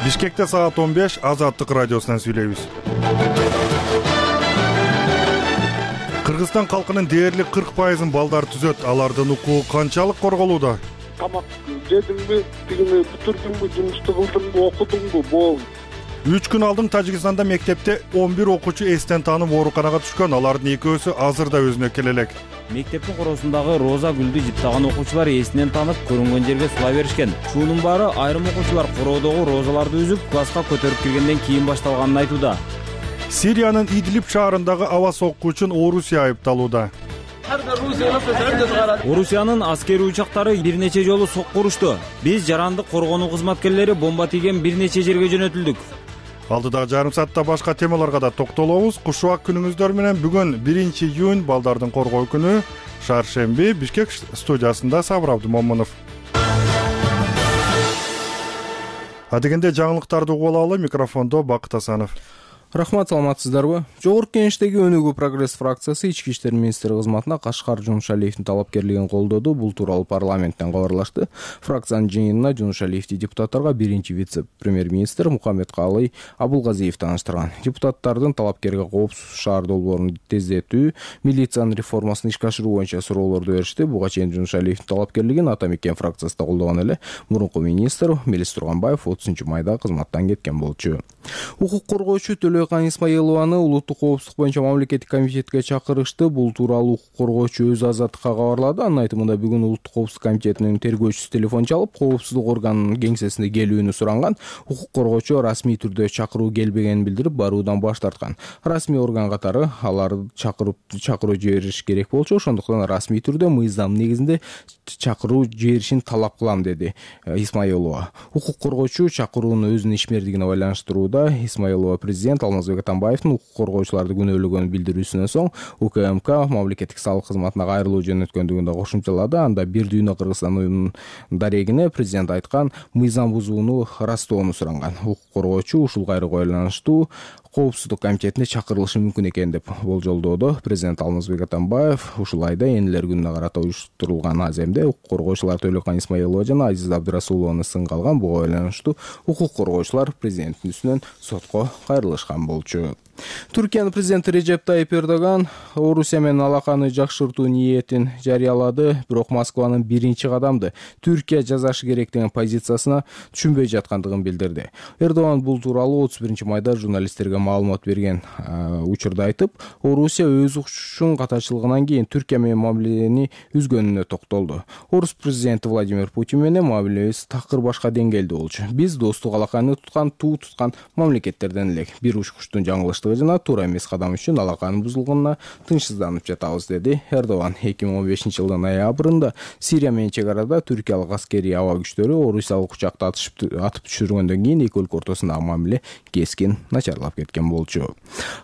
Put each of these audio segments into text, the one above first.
Бишкекте саат 15 Азаттык радиосунан сүйлөйбүз. Кыргызстан калкынын дээрлик 40% балдар түзөт. Алардын укугу канчалык корголууда? Тамак жедиңби, тигини бүтүрдүңбү, жумушту кылдыңбы, окудуңбу, болду. 3 күн алдын Тажикстанда мектепте 11 окуучу эстен таанып ооруканага түшкөн. Алардын экөөсү азырда өзүнө келе элек. Мектептин коросундагы роза гүлдү жыптаган окуучулар эсинен таанып көрүнгөн жерге сула беришкен. Шунун баары айрым окуучулар короодогу розаларды үзүп, класска көтөрүп киргенден кийин башталганын айтууда. Сириянын Идлиб шаарындагы аба сокку үчүн Орусия айыпталууда. Орусиянын аскери учактары бир нече жолу сокку урушту. Биз жарандык коргонуу кызматкерлери бомба тийген бир нече жерге жөнөтүлдүк. Алдыдагы жарым саатта башка темаларга да токтолобуз. Кушубак күнүңүздөр менен бүгүн 1-июнь балдардын коргоо күнү. Шаршемби Бишкек студиясында Сабыр Абдымомунов. Адегенде жаңылыктарды угуп алалы. Микрофондо Бакыт Асанов. Рахмат, саламатсыздарбы? Жогорку Кеңештеги Өнүгүү прогресс фракциясы Ички иштер министри кызматына Кашкар Жумушалиевдин талапкерлигин колдоду. Бул тууралуу парламенттен кабарлашты. Фракциянын жыйынына Жумушалиевди депутаттарга биринчи вице-премьер-министр Мухаммедкалый Абулгазиев тааныштырган. Депутаттардын талапкерге коопсуз шаар долбоорун тездетүү, милициянын реформасын ишке ашыруу боюнча суроолорду беришти. Буга чейин Жумушалиевдин талапкерлигин Ата Мекен фракциясы да колдогон эле. Мурунку министр Мелис Турганбаев 30-майда кызматтан кеткен болчу. Укук коргоочу Төлөйкан Исмаилованы улуттук коопсуздук боюнча мамлекеттик комитетке чакырышты. Бул тууралуу укук коргоочу өз азаттыкка кабарлады. Анын айтымында бүгүн улуттук коопсуздук комитетинин тергөөчүсү телефон чалып, коопсуздук органынын кеңсесине келүүнү суранган. Укук коргоочу расмий түрдө чакыруу келбегенин билдирип, баруудан баш тарткан. Расмий орган катары аларды чакыруу жибериш керек болчу. Ошондуктан расмий түрдө мыйзам негизинде чакыруу жиберишин талап кылам, деди Исмаилова. Укук коргоочу чакыруунун өзүнүн ишмердигине байланыштырууда. Исмаилова президент Алмазбек Атамбаевдин укук коргоочуларды күнөөлөгөнүн билдирүүсүнөн соң УКМК мамлекеттик салык кызматына кайрылуу жөнөткөндүгүн да кошумчалады. Анда Бир дүйнө Кыргызстан уюмунун дарегине президент айткан мыйзам бузууну ырастоону суранган. Укук коргоочу ушул кайрылууга байланыштуу коопсуздук комитетине чакырылышы мүмкүн экен деп болжолдоодо. Президент Алмазбек Атамбаев ушул айда энелер күнүнө карата уюштурулган аземде укук коргоочулар Төлөйкан Исмаилова жана Азиза Абдырасулованы сынга алган. Буга байланыштуу укук коргоочулар президенттин үстүнөн сотко кайрылышкан болчу. Түркиянын президенти Режеп Тайип Эрдоган Орусия менен алаканы жакшыртуу ниетин жарыялады, бирок Москванын биринчи кадамды Түркия жасашы керек деген позициясына түшүнбөй жаткандыгын билдирди. Эрдоган бул тууралуу 31-майда журналисттерге маалымат берген учурда айтып, Орусия өз укчушун катачылыгынан кийин Түркия менен мамилени үзгөнүнө токтолду. Орус президенти Владимир Путин менен мамилебиз такыр башка деңгээлде болчу. Биз достук алаканы туу туткан мамлекеттерден элек. Бир учкучтун жаңылыштыгы жана туура эмес кадам үчүн алаканын бузулганына тынчсызданып жатабыз, деди Эрдоган. 2015-жылдын ноябрында Сирия менен чек арада түркиялык аскерий аба күчтөрү орусиялык учакты атып түшүргөндөн кийин эки өлкө ортосундагы мамиле кескин начарлап кеткен болчу.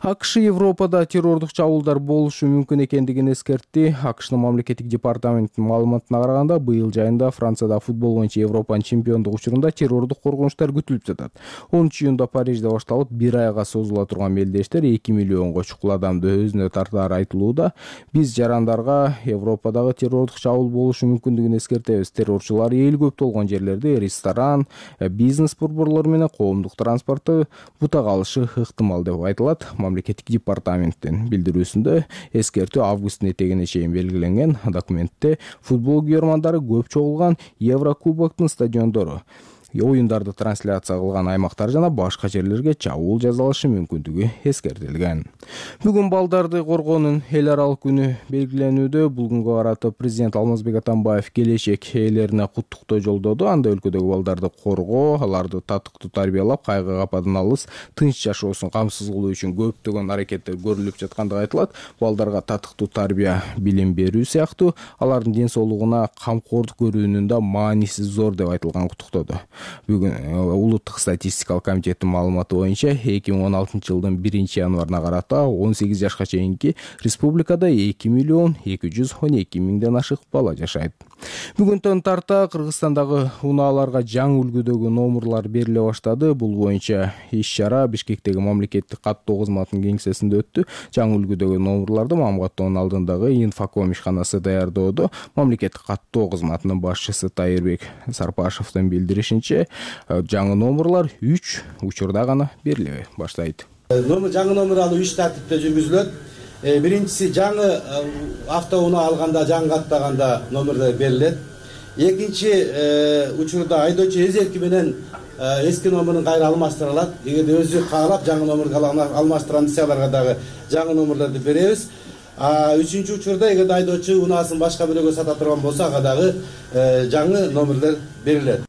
АКШ Европада террордук чабуулдар болушу мүмкүн экендигин эскертти. АКШнын мамлекеттик департаментинин маалыматына караганда, быйыл жайында Францияда футбол боюнча Европанын чемпиондук учурунда террордук коркунучтар күтүлүп жатат. 10-июнда Парижде башталып, бир айга созула турган мелдештер 2 миллионго чукул адамды өзүнө тартаары айтылууда. Биз жарандарга Европадагы террордук чабуул болушу мүмкүндүгүн эскертебиз. Террорчулар эл көп болгон жерлерде ресторан, бизнес борборлору менен коомдук транспорту бутак алышы ыктымал деп айтылат мамлекеттик департаменттин билдирүүсүндө. Эскертүү августтун этегине чейин белгиленген. Документте футбол күйөрмандары көп чогулган Еврокубоктун стадиондору, оюндарды трансляция кылган аймактар жана башка жерлерге чабуул жасалышы мүмкүндүгү эскертилген. Бүгүн балдарды коргоонун эл аралык күнү белгиленүүдө. Бул күнгө карата президент Алмазбек Атамбаев келечек ээлерине куттуктоо жолдоду. Анда өлкөдөгү балдарды коргоо, аларды татыктуу тарбиялап, кайгы кападан алыс тынч жашоосун камсыз кылуу үчүн көптөгөн аракеттер көрүлүп жаткандыгы айтылат. Балдарга татыктуу тарбия, билим берүү сыяктуу алардын ден соолугуна камкордук көрүүнүн да мааниси зор деп айтылган куттуктоодо. Бүгүн улуттук статистикалык комитеттин маалыматы боюнча 2016-жылдын 1-январына карата 18 жашка чейинки республикада 2.212.000 ашык бала жашайт. Бүгүнтөн тарта Кыргызстандагы унааларга жаңы үлгүдөгү номурлар бериле баштады. Бул боюнча иш-чара Бишкектеги мамлекеттик каттоо кызматынын кеңсесинде өттү. Жаңы үлгүдөгү номурларды мамгаттоонун алдындагы Инфоком ишканасы даярдоодо. Мамлекеттик каттоо кызматынын башчысы Тайырбек Сарпашевдин билдиришинче, айтымдарынча жаңы номерлар 3 учурда гана бериле баштайт. Жаңы номер алуу 3 тартипте жүргүзүлөт. Биринчиси жаңы автоунаа алганда, жаңы каттаганда номерлер берилет. Экинчи учурда айдоочу өз эрки менен эски номерин кайра алмаштыра алат. Эгерде өзү каалап жаңы номерге алмаштырам десе аларга дагы жаңы номерлерди беребиз. Үчүнчү учурда эгерде айдоочу унаасын башка бирөөгө сата турган болсо ага дагы жаңы номерлер берилет.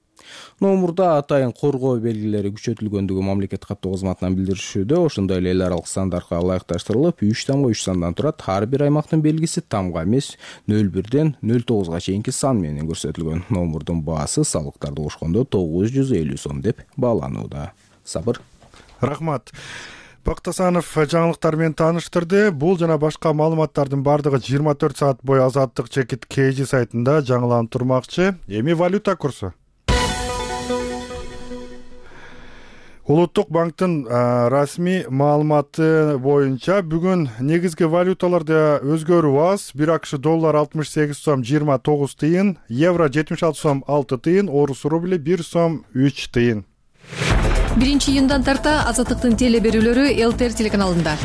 Номурда атайын коргоо белгилери күчөтүлгөндүгү мамлекет каттоо кызматынан билдиришүүдө. Ошондой эле эл аралык стандартка ылайыкташтырылып 3 сандан турат. Ар бир аймактын белгиси тамга эмес 01ден 09га чейинки сан менен көрсөтүлгөн. Номурдун баасы салыктарды кошкондо 950 сом деп бааланууда. Сабыр. Рахмат. Бактасанов жаңылыктар менен тааныштырды. Бул жана башка маалыматтардын бардыгы 24 саат бою Азаттык чекит KG сайтында жаңыланып турмакчы. Эми валюта курсу. Улуттук банктын расмий маалыматы боюнча бүгүн негизги валюталарда өзгөрүү аз. 1 АКШ доллар 68 сом 29 тыйын, евро 76 сом 6 тыйын, орус рубли 1 сом 3 тыйын. 1-июндан тарта Азаттыктын теле берүүлөрү ЛТР телеканалында.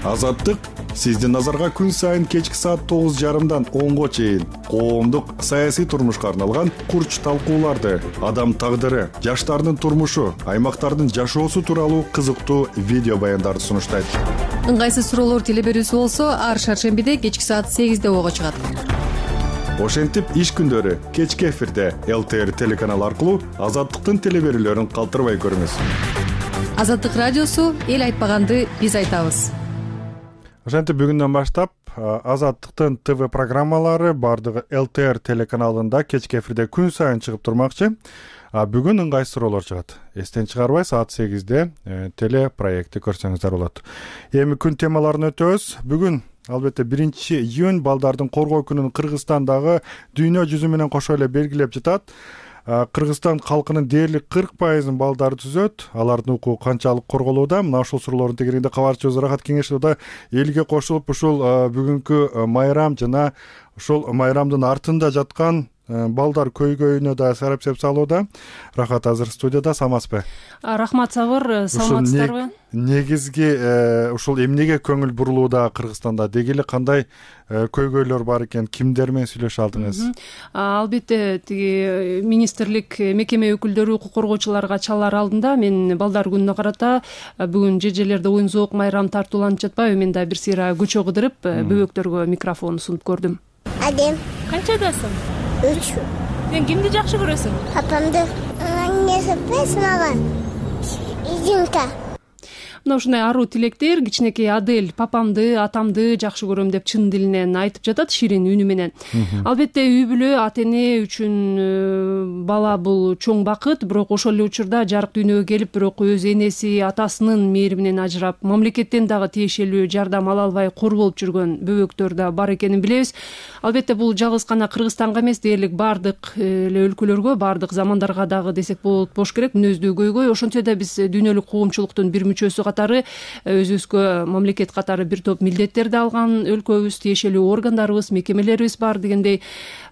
Азаттык сиздин назарга күн сайын кечки саат 9:30дан 10го чейин коомдук саясий турмушка арналган курч талкууларды, адам тагдыры, жаштардын турмушу, аймактардын жашоосу тууралуу кызыктуу видео баяндарды сунуштайт. Ыңгайсыз суроолор теле берүүсү болсо, ар шаршембиде кечки саат 8де ого чыгат. Ошентип иш күндөрү кечки эфирде ЛТР телеканалы аркылуу Азаттыктын теле берүүлөрүн калтырбай көрүңүз. Азаттык радиосу эл айтпаганды биз айтабыз. Ошентип бүгүндөн баштап Азаттыктын ТВ программалары бардыгы ЛТР телеканалында кечки эфирде күн сайын чыгып турмакчы. Бүгүн ыңгайсыз суроолор чыгат. Эстен чыгарбай саат 8де теле проекти көрсөңүздөр болот. Эми күн темаларын өтөбүз. Бүгүн албетте 1-июнь балдардын коргоо күнүн Кыргызстандагы дүйнө жүзү менен кошо эле белгилеп жатат. Кыргызстан халкынын дээрлик 40% балдары түзөт. Алардын укугу канчалык корголууда? Мына ушул суроолордун тегерегинде кабарчыбыз Рахат Кеңешова элге кошулуп ушул бүгүнкү майрам жана ушул майрамдын артында жаткан балдар көйгөйүнө да сарапсеп салууда. Рахат азыр студияда, самасызбы? Рахмат, Сабыр, саламатсыздарбы? Негизги ушул эмнеге көңүл бурулууда Кыргызстанда? Деги эле кандай көйгөйлөр бар экен? Кимдер менен сүйлөшө алдыңыз? Албетте, тиги министрлик мекеме өкүлдөрү укук коргоочуларга чалаар алдында мен балдар күнүнө карата бүгүн жерлерде оюн зоок майрам тартууланып жатпайбы? Мен да бир сыйра көчө кыдырып бөбөктөргө микрофон сунуп көрдүм. Адем. Канчадасың? 3. Сен кимди жакшы көрөсүң? Папамды. Эмнеси мага? Изюмка. Мына ушундай аруу тилектер кичинекей Адель папамды, атамды жакшы көрөм деп чын дилинен айтып жатат ширин үнү менен. Албетте үй бүлө, ата эне үчүн бала бул чоң бакыт, бирок ошол эле учурда жарык дүйнөгө келип, бирок өз энеси, атасынын мээриминен ажырап, мамлекеттен дагы тиешелүү жардам ала албай кор болуп жүргөн бөбөктөр да бар экенин билебиз. Албетте бул жалгыз гана Кыргызстанга эмес, дээрлик бардык эле өлкөлөргө, бардык замандарга дагы десек болуш керек, мүнөздүү көйгөй. Ошентсе да биз дүйнөлүк коомчулуктун бир мүчөсү катары өзүбүзгө мамлекет катары бир топ милдеттерди алган өлкөбүз, тиешелүү органдарыбыз, мекемелерибиз бар дегендей.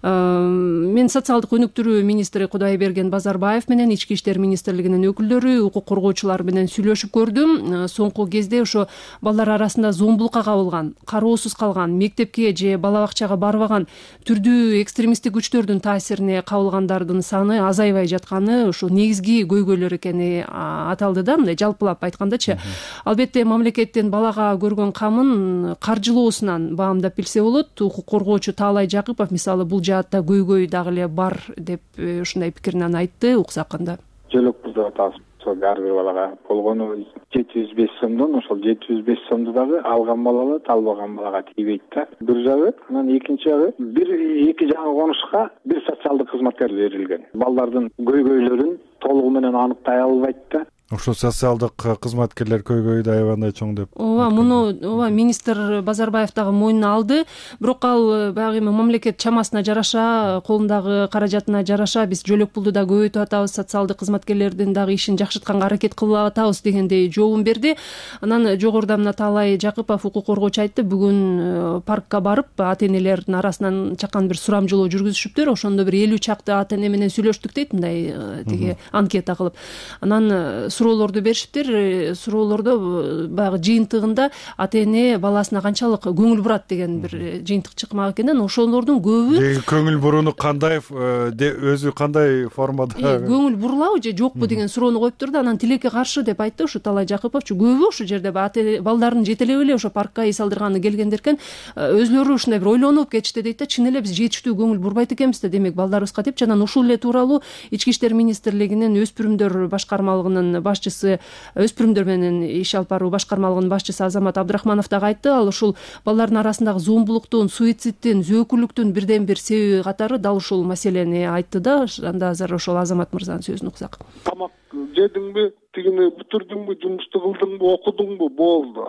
Мен социалдык өнүктүрүү министри Кудайберген Базарбаев менен Ички иштер министрлигинин өкүлдөрү, укук коргоочулар менен сүйлөшүп көрдүм. Соңку кезде ошо балдар арасында зомбулукка кабылган, кароосуз калган, мектепке же бала бакчага барбаган, түрдүү экстремисттик күчтөрдүн таасирине кабылгандардын саны азайбай жатканы ошо негизги көйгөйлөр экени аталды да, мындай жалпылап айткандачы. Албетте мамлекеттин балага көргөн камын каржылоосунан баамдап билсе болот. Укук коргоочу Таалай Жакыпов мисалы бул жаатта көйгөй дагы эле бар деп ушундай пикирин айтты. Уксак кандай? Жөлөкпүз деп атабыз. Ошол ар бир балага болгону 705 сомдон, ошол 705 сомду дагы алган бала алат, албаган балага тийбейт да. Бир жагы, анан экинчи жагы, эки жаңы конушка бир социалдык кызматкер берилген. Балдардын көйгөйлөрүн толугу менен аныктай албайт да. ошо социалдык кызматкерлер көйгөйдү аябандай чоң деп. Муну министр Базарбаев дагы мойнуна алды. Бирок ал баягы эми мамлекет чамасына жараша, колундагы каражатына жараша биз жөлөк пулду да көбөйтүп атабыз, социалдык кызматкерлердин дагы ишин жакшыртканга аракет кылып атабыз дегендей жообун берди. Анан жогоруда мына Таалай Жакыпов укук коргоочу айтты, бүгүн паркка барып ата энелердин арасынан чакан бир сурамжылоо жүргүзүшүптүр. Ошондо бир 50 чакты ата эне менен сүйлөштүк дейт, мындай тиги анкета кылып. Анан суроолорду беришиптир. Суроолордо баягы жыйынтыгында ата эне баласына канчалык көңүл бурат деген бир жыйынтык чыкмак экен. Ошолордун көбү көңүл бурууну кандай өзү кандай формада көңүл бурулабы же жокпу деген суроону коюптур да, анан тилекке каршы деп айтты ошо Таалай Жакыповчу. Көбү ошол жерде балдарын жетелеп эле ошо паркка эс алдырганы келгендер экен. Өзүлөрү ушундай бир ойлонуп кетишти дейт да. Чын эле биз жетиштүү көңүл бурбайт экенбиз да демек балдарыбызга деп. Анан ушул эле тууралуу Ички иштер министрлигинин өспүрүмдөр башкармалыгынын башчысы, өспүрүмдөр менен иш алып баруу башкармалыгынын башчысы Азамат Абдрахманов дагы айтты. Ал ушул балдардын арасындагы зомбулуктун, суицидтин, зөөкүлүктүн бирден бир себеби катары дал ушул маселени айтты да. Анда азыр ошол Азамат мырзанын сөзүн уксак. Тамак жедиңби, тигини бүтүрдүңбү, жумушту кылдыңбы, окудуңбу, болду.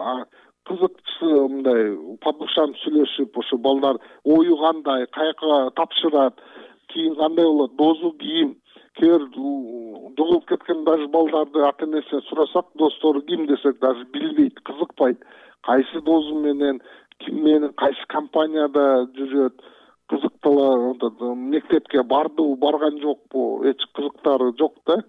Кызыкчысы мындай падушам сүйлөшүп, ошо балдар ою кандай, каяка тапшырат, кийин кандай болот, дозу кийим. Кээ жоголуп кеткен даже балдарды ата энесине сурасак, достору ким десек даже билбейт, кызыкпайт. Кайсы дозу менен, ким менен, кайсы компанияда жүрөт, кызыктала, мектепке бардыбы, барган жокпу, эч кызыктары жок да.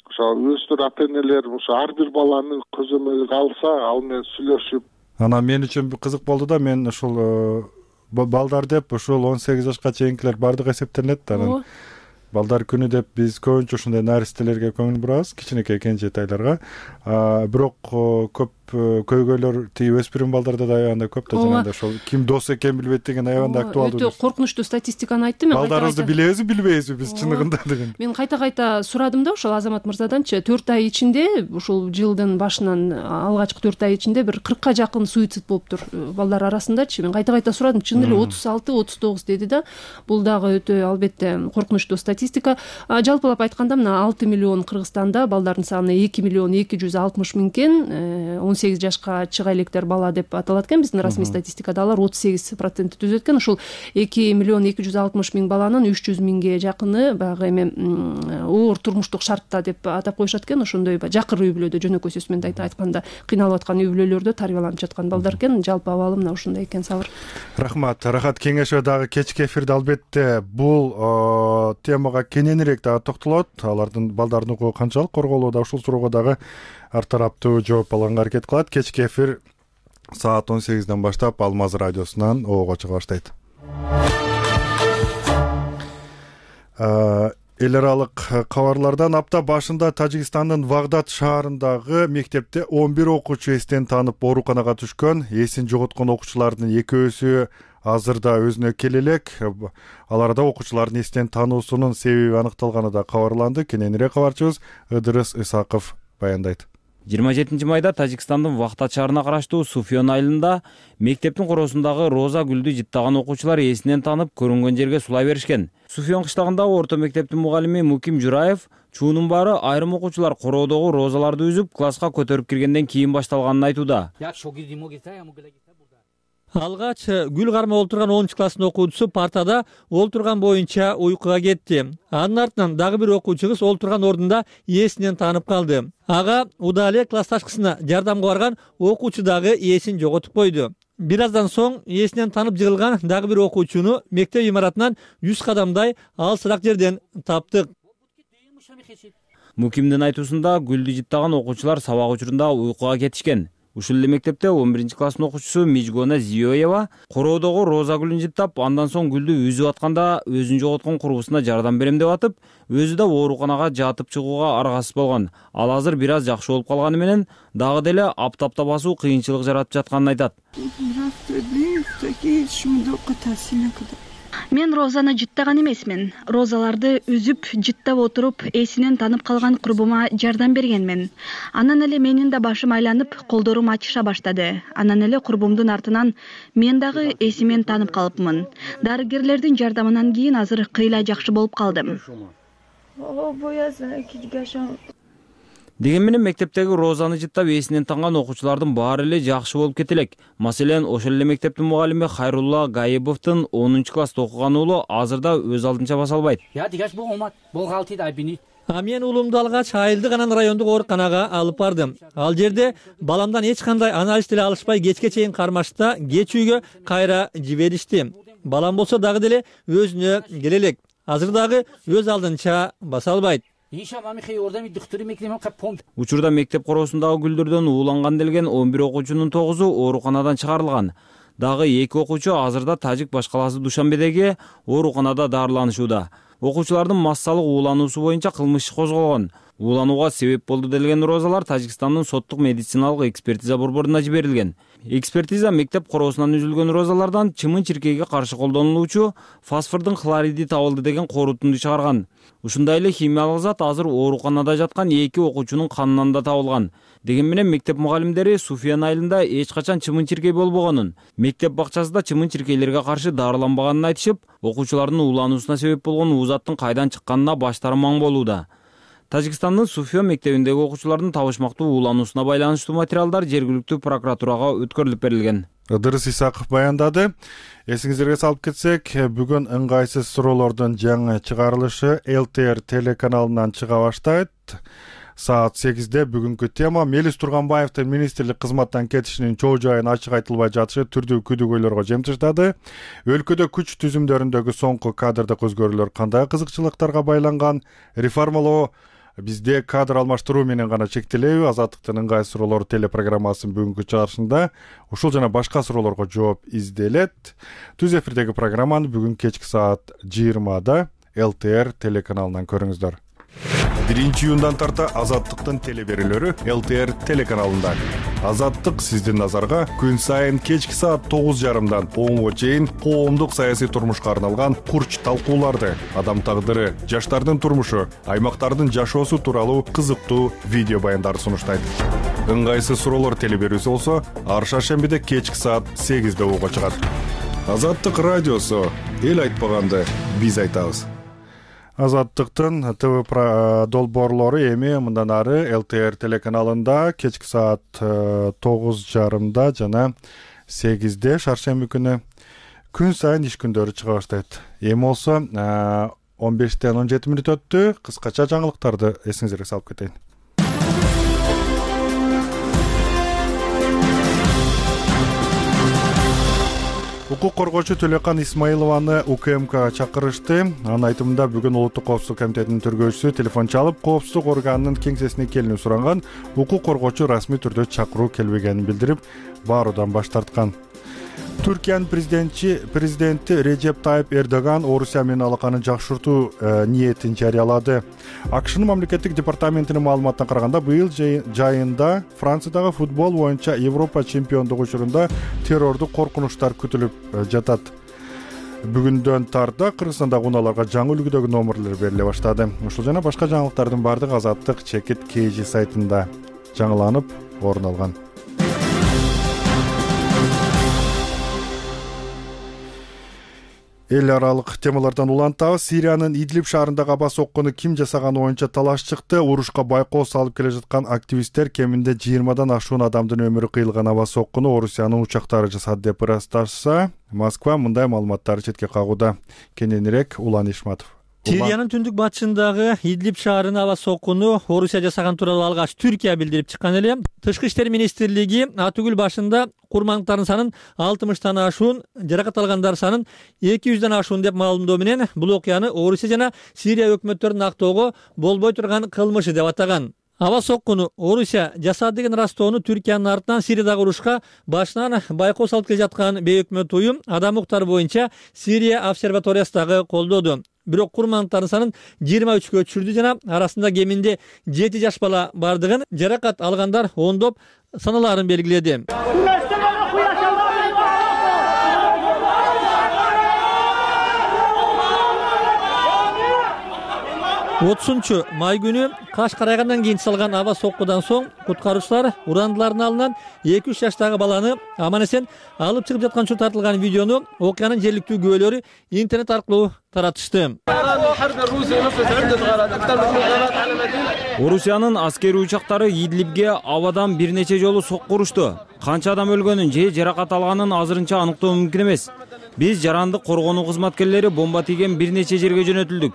Ошо өстөр ата энелер ошо ар бир баланы көзөмөлгө алса, ал менен сүйлөшүп. Анан мен үчүн кызык болду да, мен ушул балдар деп ушул 18 жашка чейинкилер бардыгы эсептелинет да. Балдар күнү деп биз көбүнчө ушундай наристелерге көңүл бурабыз, кичинекей кенжетайларга. Бирок көп көйгөйлөр тиги өспүрүм балдарда да аябандай көп да, жана ошол ким дос экенин билбейт деген аябандай актуалдуу. Өтө коркунучтуу статистиканы айтты. Мен балдарыбызды билебизби, билбейбизби биз чыныгында деген. Мен кайта сурадым да ошол Азамат мырзаданчы. 4 ай ичинде, ушул жылдын башынан алгачкы 4 ай ичинде бир 40ка жакын суицид болуптур балдар арасындачы. Мен кайта сурадым, чын эле 36-39 деди да. Бул дагы өтө албетте коркунучтуу статистика. Жалпылап айтканда мына 6 миллион Кыргызстанда балдардын саны 2 миллион 260 миң экен. 18 жашка чыга электер бала деп аталат экен. Биздин расмий статистикада алар 38% түзөт экен. Ушул 2 миллион 260 миң баланын 300 миңге жакыны баягы эми оор турмуштук шартта деп атап коюшат экен. Ошондой жакыр үй бүлөдө, жөнөкөй сөз менен айтканда кыйналып аткан үй бүлөлөрдө тарбияланып жаткан балдар экен. Жалпы абалы мына ушундай экен. Сабыр. Рахмат. Рахат кеңеши дагы кечки эфирде албетте бул темага кененирээк дагы токтолот. Алардын балдардын укугу канчалык корголууда, ушул суроого дагы ар тараптуу жооп алганга аракет кылат. Кечки эфир саат 18ден баштап Алмаз радиосунан оого чыга баштайт. Эл аралык кабарлардан апта башында Тажикстандын Вагдат шаарындагы мектепте 11 окуучу эстен таанып ооруканага түшкөн. Эсин жоготкон окуучулардын экөөсү азырда өзүнө келе элек. Аларда окуучулардын эстен таануусунун себеби аныкталганы да кабарланды. Кененирээк кабарчыбыз Ыдырыс Исаков баяндайт. 27 майда Тажикстандын Вагдат шаарына караштуу Суфьон айылында мектептин короосундагы роза гүлдү жыттаган окуучулар эсинен таанып көрүнгөн жерге сулай беришкен. Суфьон кыштагындагы орто мектептин мугалими Муким Жураев чуунун баары айрым окуучулар короодогу розаларды үзүп класска көтөрүп киргенден кийин башталганын айтууда. Алгач гүл кармап олтурган 10 класстын окуучусу партада олтурган боюнча уйкуга кетти. Анын артынан дагы бир окуучу кыз олтурган ордунда эсинен таанып калды. Ага удале классташкысына жардамга барган окуучу дагы эсин жоготуп койду. Бир аздан соң эсинен таанып жыгылган дагы бир окуучуну мектеп имаратынан 100 кадамдай алысыраак жерден таптык. Мукимдин айтуусунда гүлдү жыттаган окуучулар сабак учурунда уйкуга кетишкен. Ушул эле мектепте 11 класстын окуучусу Мижгона Зиёева короодогу роза гүлүн жыттап, андан соң гүлдү үзүп атканда өзүн жоготкон курбусуна жардам берем деп атып, өзү да ооруканага жатып чыгууга аргасыз болгон. Ал азыр бир аз жакшы болуп калганы менен дагы деле аптапта басуу кыйынчылык жаратып жатканын айтат. Мен розаны жыттаган эмесмин. Розаларды үзүп, жыттап отуруп, эсинен таанып калган курбума жардам бергенмин. Анан эле менин да башым айланып, колдорум ачыша баштады. Анан эле курбумдун артынан мен дагы эсимен таанып калыпмын. Дарыгерлердин жардамынан кийин азыр кыйла жакшы болуп калдым. Деген менен мектептеги розаны жыттап эсинен танган окуучулардын баары эле жакшы болуп кете элек. Маселен, ошол эле мектептин мугалими Хайрулла Гаебовдун 10-класста окуган уулу азырда өз алдынча баса албайт. Мен уулумду алгач Айылдык анан райондук ооруканага алып бардым. Ал жерде баламдан эч кандай анализ деле алышпай кечке чейин кармашта кеч үйгө кайра жиберишти. Балам болсо дагы деле өзүнө келе элек. Азыр дагы өз алдынча баса албайт. Учурда мектеп короосундагы гүлдөрдөн ууланган делген 11 окуучунун 9-у ооруканадан чыгарылган. Дагы 2 окуучу азырда Тажик башкаласы Душанбедеги ооруканада дарыланышууда. Окуучулардын массалык уулануусу боюнча кылмыш иши козголгон. Ууланууга себеп болду делген розалар Тажикстандын соттук медициналык экспертиза борборуна жиберилген. Экспертиза мектеп короосунан үзүлгөн розалардан чымын-чиркейге каршы колдонулуучу фосфордун хлориди табылды деген корутунду чыгарган. Ушундай эле химиялык зат азыр ооруканада жаткан 2 окуучунун канынан да табылган. Деген менен мектеп мугалимдери Суфиян айылында эч качан чымын-чиркей болбогонун, мектеп бакчасында чымын-чиркейлерге каршы дарыланбаганын айтышып, окуучулардын уулануусуна себеп болгон уузаттын кайдан чыкканына баштары маң болууда. Тажикстандын Суфия мектебиндеги окуучулардын табышмактуу уулануусуна байланыштуу материалдар жергиликтүү прокуратурага өткөрүлүп берилген. Ыдырыс Исаков баяндады. Эсиңиздерге салып кетсек, бүгүн ыңгайсыз суроолордун жаңы чыгарылышы ЛТР телеканалынан чыга баштайт. Саат 8-де бүгүнкү тема Мелис Турганбаевдин министрлик кызматтан кетишинин чоо жайын ачык айтылбай жатышы түрдүү күдүгөйлөргө жем таштады. Өлкөдө күч түзүмдөрүндөгү соңку кадрдык өзгөрүүлөр кандай кызыкчылыктарга байланган? Реформалоо бизде кадр алмаштыруу менен гана чектелеби? Азаттыктын ыңгай суроолор телепрограммасынын бүгүнкү чыгарышында ушул жана башка суроолорго жооп изделет. Түз эфирдеги программаны бүгүн кечки саат 20-да ЛТР телеканалынан көрүңүздөр. 1-июндан тарта Азаттыктын телеберүүлөрү ЛТР телеканалында. Азаттык сиздин назарга күн сайын кечки саат 9:30дан 10-го чейин коомдук саясий турмушка арналган курч талкууларды, адам тагдыры, жаштардын турмушу, аймактардын жашоосу тууралуу кызыктуу видео баяндарды сунуштайт. Ыңгайсыз суроолор телеберүүсү болсо ар шаршембиде кечки саат 8-де угууга чыгат. Азаттык радиосу эл айтпаганды биз айтабыз. Азаттыктын ТВ долбоорлору эми мындан ары ЛТР телеканалында кечки саат 9:30 жана 8-де шаршемби күнү күн сайын иш күндөрү чыга баштайт. Эми болсо 15-тен 17 мүнөт өттү. Кыскача жаңылыктарды эсиңизге салып кетейин. Укук коргоочу Төлөкан Исмаилованы УКМК чакырышты. Анын айтымында бүгүн Улуттук коопсуздук комитетинин төргөөчүсү телефон чалып, коопсуздук органынын кеңсесине келүүнү суранган. Укук коргоочу расмий түрдө чакыруу келбегенин билдирип, бааруудан баш тарткан. Түркиянын президенти Режеп Тайып Эрдоган Орусия менен алаканы жакшыртуу ниетин жарыялады. АКШнын мамлекеттик департаментинин маалыматына караганда, быйыл жайында Франциядагы футбол боюнча Европа чемпиондугу учурунда террордук коркунучтар күтүлүп жатат. Бүгүндөн тарта Кыргызстандагы унааларга жаңы үлгүдөгү номерлер бериле баштады. Ушул жана башка жаңылыктардын баардыгы Азаттык чекит KG сайтында жаңыланып орун алган. Эл аралык темалардан улантабыз. Сириянын Идлиб шаарындагы аба соккуну ким жасаганы боюнча талаш чыкты. Урушка байкоо салып келе жаткан активисттер кеминде 20-дан ашуун адамдын өмүрү кыйылган аба соккуну Орусиянын учактары жасады деп ырасташса, Москва мындай маалыматтарды четке кагууда. Кененирээк Улан Ишматов. Сириянын түндүк батышындагы Идлиб шаарына аба соккуну Орусия жасаган тууралуу алгач Түркия билдирип чыккан эле. Тышкы иштер министрлиги Атүгүл башында курмандыктардын санын 60-тан ашуун, жаракат алгандар санын 200-дан ашуун деп маалымдоо менен бул окуяны Орусия жана Сирия өкмөттөрүн актоого болбой турган кылмышы деп атаган. Аба соккуну Орусия жасады деген ырастоону Түркиянын артынан Сириядагы урушка башынан байкоо салып келе жаткан бейөкмөт уюм Адам укуктары боюнча Сирия обсерваториясындагы колдоду. Бирок курмандыктардын санын 23-кө түшүрдү жана арасында кеминде 7 жаш бала бардыгын, жаракат алгандар ондоп саналарын белгиледи. 30 май күнү Каш карайгандан кийин салган аба соккудан соң куткаруучулар урандылардын алынан 2-3 жаштагы баланы аман эсен алып чыгып жаткан учур тартылган видеону окуянын жергиликтүү күбөлөрү интернет аркылуу таратышты. Орусиянын аскери учактары Идлибге абадан бир нече жолу сокку урушту. Канча адам өлгөнүн же жаракат алганын азырынча аныктоо мүмкүн эмес. Биз жарандык коргонуу кызматкерлери бомба тийген бир нече жерге жөнөтүлдүк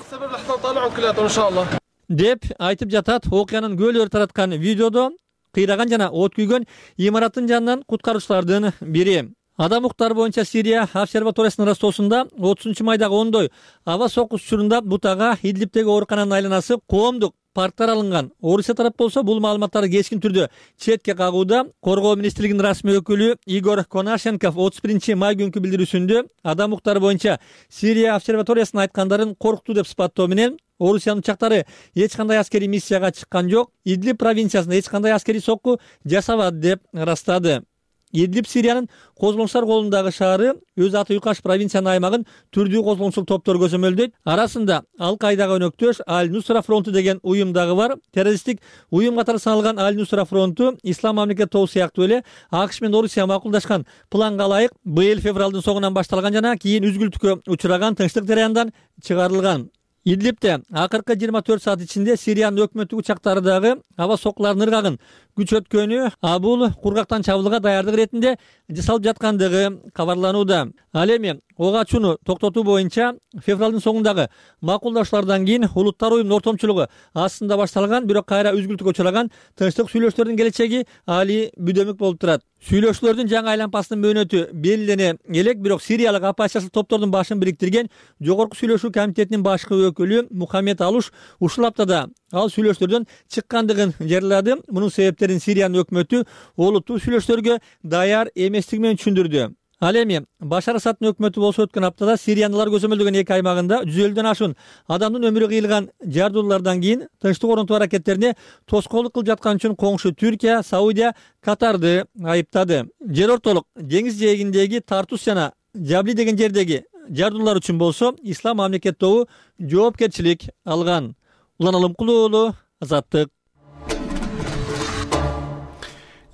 деп айтып жатат окуянын көлөөр тараткан видеодо кыйраган жана от күйгөн имараттын жанынан куткаруучулардын бири. Адам укуктары боюнча Сирия обсерваториясынын растоосунда 30-майдагы ондой аба соккусу учурунда бутага Идлибтеги оорукананын айланасы коомдук парктар алынган. Орусия тарап болсо бул маалыматтарды кескин түрдө четке кагууда. Коргоо министрлигинин расмий өкүлү Игорь Конашенков 31-май күнкү билдирүүсүндө адам укуктары боюнча Сирия обсерваториясынын айткандарын корктуу деп сыпаттоо менен Орусиянын учактары эч кандай аскерий миссияга чыккан жок, Идлиб провинциясында эч кандай аскерий сокку жасабады деп ырастады. Идлиб Сириянын козголоңчулар колундагы шаары, өз аты Юкаш провинциянын аймагын түрдүү козголоңчулук топтор көзөмөлдөйт. Арасында Ал-Кайдага өнөктөш Аль-Нусра фронту деген уюм дагы бар. Террористтик уюм катары саналган Аль-Нусра фронту Ислам мамлекети тобу сыяктуу эле АКШ менен Орусия макулдашкан планга ылайык быйыл февралдын соңунан башталган жана кийин үзгүлтүккө учураган тынчтык жараяндан чыгарылган. Идлибте акыркы 24 саат ичинде Сириянын өкмөттүк учактары дагы аба соккулардын ыргагын күчөткөнү, бул кургактан чабуулга даярдык иретинде жасалып жаткандыгы кабарланууда. Ал эми ок ачууну токтотуу боюнча февралдын соңундагы макулдашуулардан кийин улуттар уюмунун ортомчулугу астында башталган, бирок кайра үзгүлтүккө учураган тынчтык сүйлөшүүлөрдүн келечеги али бүдөмүк болуп турат. Сүйлөшүүлөрдүн жаңы айланпасынын мөөнөтү белгилене элек, бирок Сириялык оппозициялык топтордун башын бириктирген Жогорку сүйлөшүү комитетинин башкы өкүлү Мухаммед Алуш ушул аптада ал сүйлөшүүлөрдөн чыккандыгын жарыялады. Мунун себептерин Сириянын өкмөтү олуттуу сүйлөшүүлөргө даяр эместиги менен түшүндүрдү. Ал эми Башар Асадтын өкмөтү болсо өткөн аптада Сириянылар көзөмөлдөгөн эки аймагында 150дөн ашуун адамдын өмүрү кыйылган жардуулардан кийин тынчтык орнотуу аракеттерине тоскоолдук кылып жаткан үчүн коңшу Түркия, Саудия, Катарды айыптады. Жер ортолук деңиз жээгиндеги Тартус жана Жабли деген жердеги жардуулар үчүн болсо Ислам мамлекети тобу жоопкерчилик алган. Улан Алымкулуу уулу, Азаттык.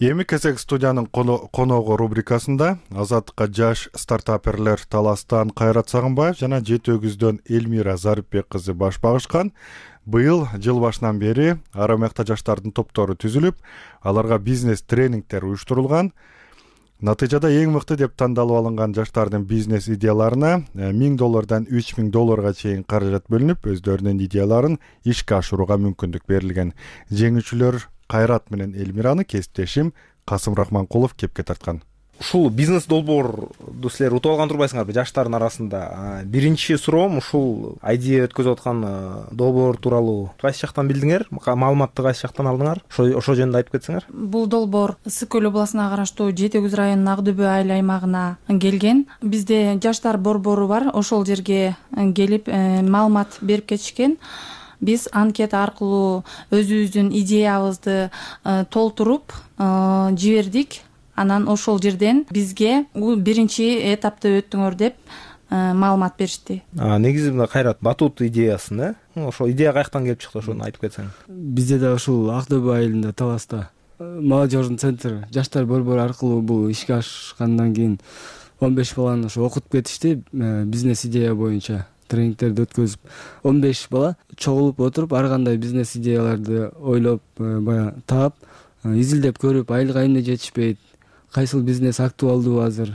Эми кезек студиянын коногу рубрикасында Азаттыкка жаш стартаперлер Таластан Кайрат Сагынбаев жана Жети өгүздөн Элмира Зарипбек кызы баш багышкан. Быйыл жыл башынан бери ара мыкта жаштардын топтору түзүлүп, аларга бизнес тренингдер уюштурулган. Натыйжада эң мыкты деп тандалып алынган жаштардын бизнес идеяларына $1000 $3000 чейин каражат бөлүнүп, өздөрүнүн идеяларын ишке ашырууга мүмкүндүк берилген. Жеңүүчүлөр Кайрат менен Элмираны кесиптешим Касым Рахманкулов кепке тарткан. Ушул бизнес долбоорду силер утуп алган турбайсыңарбы жаштардын арасында? Биринчи суроом ушул идея өткөзүп аткан долбоор тууралуу кайсы жактан билдиңер? Маалыматты кайсы жактан алдыңар? Ошо жөнүндө айтып кетсеңер. Бул долбоор Ысык көл областына караштуу Жети өгүз районунун Ак Дөбө айыл аймагына келген. Бизде жаштар борбору бар. Ошол жерге келип маалымат берип кетишкен. Биз анкета аркылуу өзүбүздүн идеябызды толтуруп жибердик. Анан ошол жерден бизге биринчи этапты өттүңөр деп маалымат беришти. Негизи мына Кайрат батут идеясын, ошол идея каяктан келип чыкты, ошону айтып кетсең. Бизде да ушул Ак Дөбө айылында Таласта молодежный центр жаштар борбору аркылуу бул ишке ашкандан кийин 15 баланы ошо окутуп кетишти. Бизнес идея боюнча тренингтерди өткөзүп 15 бала чогулуп отуруп ар кандай бизнес идеяларды ойлоп, баягы таап, изилдеп көрүп, айлык эмне жетишпейт, кайсыл бизнес актуалдуу азыр,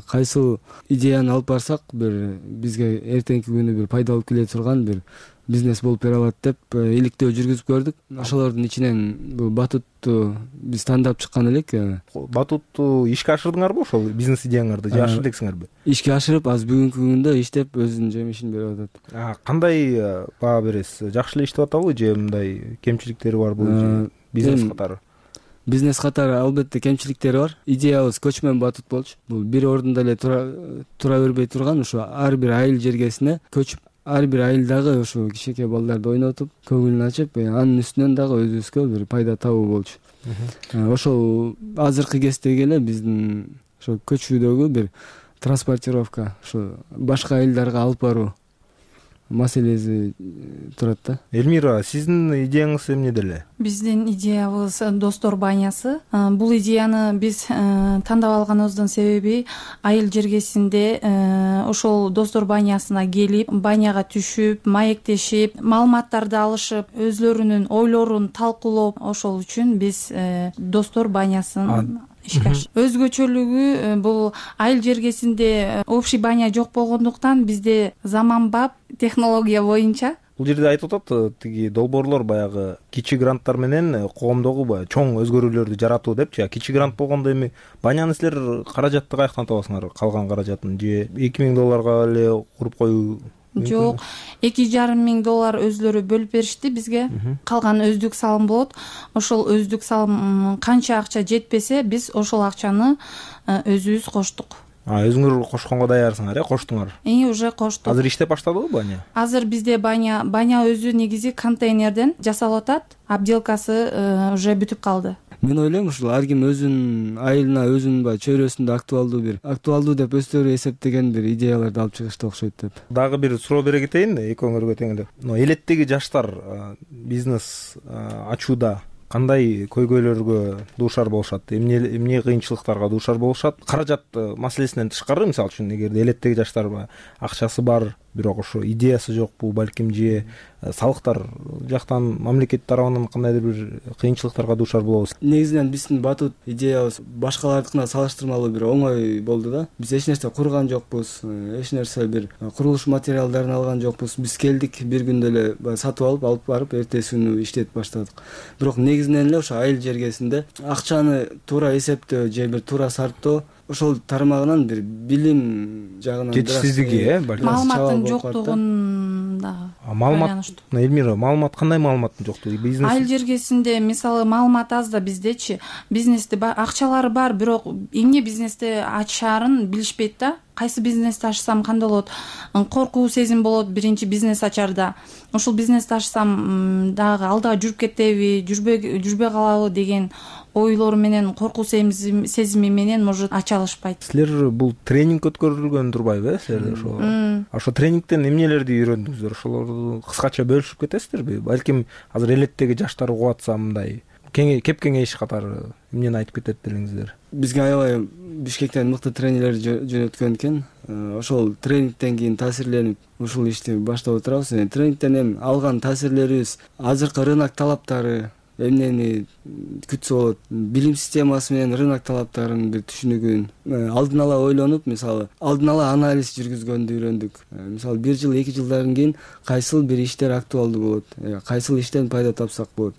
кайсыл идеяны алып барсак бир бизге эртеңки күнү бир пайда алып келе турган бир бизнес болуп бере алат деп иликтөө жүргүзүп көрдүк. Ошолордун ичинен бул батутту биз тандап чыккан элек. Батутту ишке ашырдыңарбы ошол бизнес идеяңарды же ашыр дексиңерби? Ишке ашырып, азыр бүгүнкү күндө иштеп өзүнүн жемишин берип атат. Кандай баа бересиз? Жакшы эле иштеп атабы же мындай кемчиликтери барбы бизнес катары? Бизнес катары албетте кемчиликтери бар. Идеябыз көчмөн батут болчу. Бул бир ордунда эле тура бербей турган, ошо ар бир айыл жергесине көчүп, ар бир айылдагы ошо кичинекей балдарды ойнотуп, көңүлүн ачып, анын үстүнөн дагы өзүбүзгө бир пайда табуу болчу. Ошол азыркы кездеги эле биздин ошо көчүүдөгү бир транспортировка, ошо башка айылдарга алып баруу. маселеси турат да. Элмира, сиздин идеяңыз эмнеде эле? Биздин идеябыз достор банясы. Бул идеяны биз тандап алганыбыздын себеби айыл жергесинде ошол достор банясына келип, баняга түшүп, маектешип, маалыматтарды алышып, өзлөрүнүн ойлорун талкуулоп, ошол үчүн биз достор банясын өзгөчөлүгү бул айыл жергесинде общий баня жок болгондуктан бизде заманбап технология боюнча. Бул жерде айтып атат тиги долбоорлор баягы кичи гранттар менен коомдогу баягы чоң өзгөрүүлөрдү жаратуу депчи. Кичи грант болгондо эми баняны силер каражатты каяктан табасыңар? Калган каражатын же $2000 эле куруп коюу? Жок, $2,5 өзлөрү бөлүп беришти бизге. Калган өздүк салым болот. Ошол өздүк салым канча акча жетпесе, биз ошол акчаны өзүбүз коштук. Өзүңөр кошконго даярсыңар, коштуңар? Уже коштук. Азыр иштеп баштадыбы баня? Азыр бизде баня өзү негизи контейнерден жасалып атат. Обделкасы уже бүтүп калды. Мен ойлойм, ушул ар ким өзүнүн айылына, өзүнүн баягы чөйрөсүндө актуалдуу деп өздөрү эсептеген бир идеяларды алып чыгышты окшойт деп. Дагы бир суроо бере кетейин, экөөңөргө тең эле. Элеттеги жаштар бизнес ачууда кандай көйгөйлөргө дуушар болушат? Эмне кыйынчылыктарга дуушар болушат? Каражат маселесинен тышкары, мисалы үчүн, эгерде элеттеги жаштар акчасы бар, бирок ошо идеясы жокпу, балким же салыктар жактан мамлекет тарабынан кандайдыр бир кыйынчылыктарга дуушар болобуз. Негизинен биздин батут идеябыз башкалардыкына салыштырмалуу бир оңой болду да. Биз эч нерсе курган жокпуз, эч нерсе бир курулуш материалдарын алган жокпуз. Биз келдик, бир күндө эле сатып алып барып, эртеси күнү иштетип баштадык. Бирок негизинен эле ошо айыл жергесинде акчаны туура эсептөө же бир туура сарптоо ошол тармагынан бир билим жагынан жетишсиздиги, маалыматтын жоктугун дагы. Маалымат, Элмира, маалымат кандай маалыматтын жоктугу? Бизнес айыл жергесинде мисалы маалымат аз да биздечи. Бизнесте акчалары бар, бирок эмне бизнести ачаарын билишпейт да. Кайсы бизнести ачсам кандай болот? Коркуу сезим болот биринчи бизнес ачарда. Ушул бизнести ачсам дагы алда жүрүп кетеби, жүрбөй калабы деген ойлор менен, коркуу сезими менен может ача алышпайт. Силер бул тренинг өткөрүлгөн турбайбы, силер ошо тренингден эмнелерди үйрөндүңүздөр? Ошолорду кыскача бөлүшүп кетесиздерби? Балким азыр элеттеги жаштар угуп атса мындай кеп кеңеш катары эмнени айтып кетет делиңиздер? Бизге аябай Бишкектен мыкты тренерлер жөнөткөн экен. Ошол тренингден кийин таасирленип ушул ишти баштап отурабыз. Тренингден эми алган таасирлерибиз азыркы рынок талаптары эмнени күтсө болот, билим системасы менен рынок талаптарынын бир түшүнүгүн алдын ала ойлонуп, мисалы алдын ала анализ жүргүзгөндү үйрөндүк. Мисалы 1 жыл 2 жылдан кийин кайсыл бир иштер актуалдуу болот, кайсыл иштен пайда тапсак болот,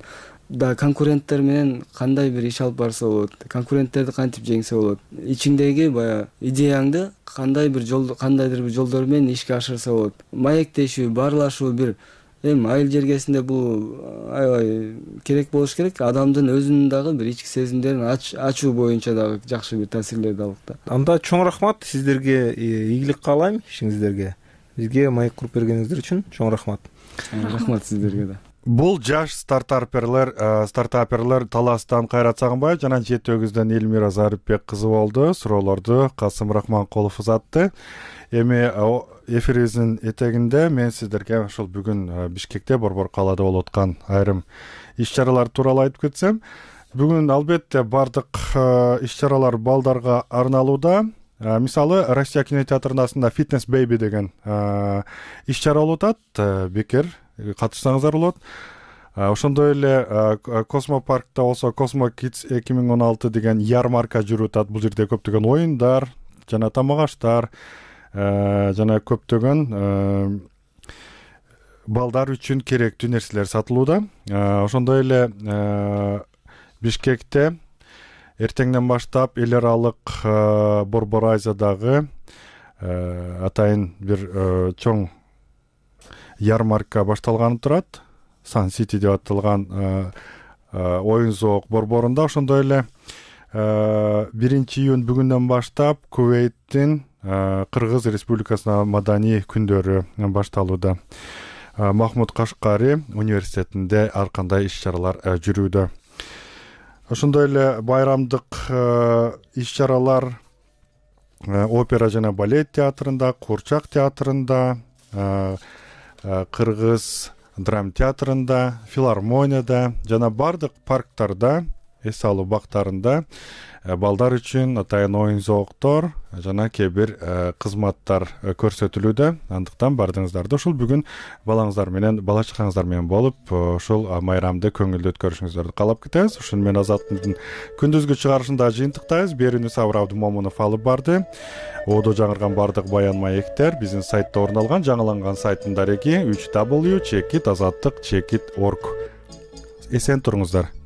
да конкуренттер менен кандай бир иш алып барса болот, конкуренттерди кантип жеңсе болот, ичиңдеги баягы идеяңды кандайдыр бир жолдор менен ишке ашырса болот. Маектешүү, баарлашуу бир эми айыл жергесинде бул аябай керек болуш керек. Адамдын өзүнүн дагы бир ички сезимдерин ачуу боюнча дагы жакшы бир таасирлерди алдык да. Анда чоң рахмат сиздерге, ийгилик каалайм ишиңиздерге. Бизге майк куруп бергениңиздер үчүн чоң рахмат. Рахмат сиздерге да. Бул жаш стартаперлер Таластан Кайрат Сагынбаев жана Жети-Өгүздөн Элмира Зарипбек кызы болду. Суроолорду Касым Рахманкулов узатты. Эми эфирибиздин этегинде мен сиздерге ошол бүгүн Бишкекте, Борбор калаада болуп аткан айрым иш-чаралар тууралуу айтып кетсем, бүгүн албетте бардык иш-чаралар балдарга арналууда. Мисалы, Россия кинотеатрында Fitness Baby деген иш-чара болуп атат. Бекер катышсаңыздар болот. Ошондой эле Космопаркта болсо Cosmo Kids 2016 деген ярмарка жүрүп атат. Бул жерде көптөгөн оюндар жана тамак аштар жана көптөгөн балдар үчүн керектүү нерселер сатылууда. Ошондой эле Бишкекте эртеңден баштап эл аралык Борбор Айзадагы атайын бир чоң ярмарка башталганы турат. Сан Сити деп аталган оюн зоок борборунда. Ошондой эле 1-июнь бүгүндөн баштап Кувейттин Кыргыз Республикасына маданий күндөрү башталууда. Махмуд Кашкари университетинде ар кандай иш-чаралар жүрүүдө. Ошондой эле байрамдык иш-чаралар опера жана балет театрында, Курчак театрында, кыргыз драма театрында, филармонияда жана бардык парктарда, эс алуу бактарында балдар үчүн атайын оюн зооктор жана кээ бир кызматтар көрсөтүлүүдө. Андыктан бардыңыздарды ушул бүгүн балаңыздар менен, бала чакаңыздар менен болуп ушул майрамды көңүлдүү өткөрүшүңүздөрдү каалап кетебиз. Ушуну менен Азаттын күндүзгү чыгарышында жыйынтыктайбыз. Берүүнү Сабыр Абдымомунов алып барды. Оодо жаңырган бардык баян маектер биздин сайтта орун алган. Жаңыланган сайттын дареги www.azattik.org. Эсен туруңуздар.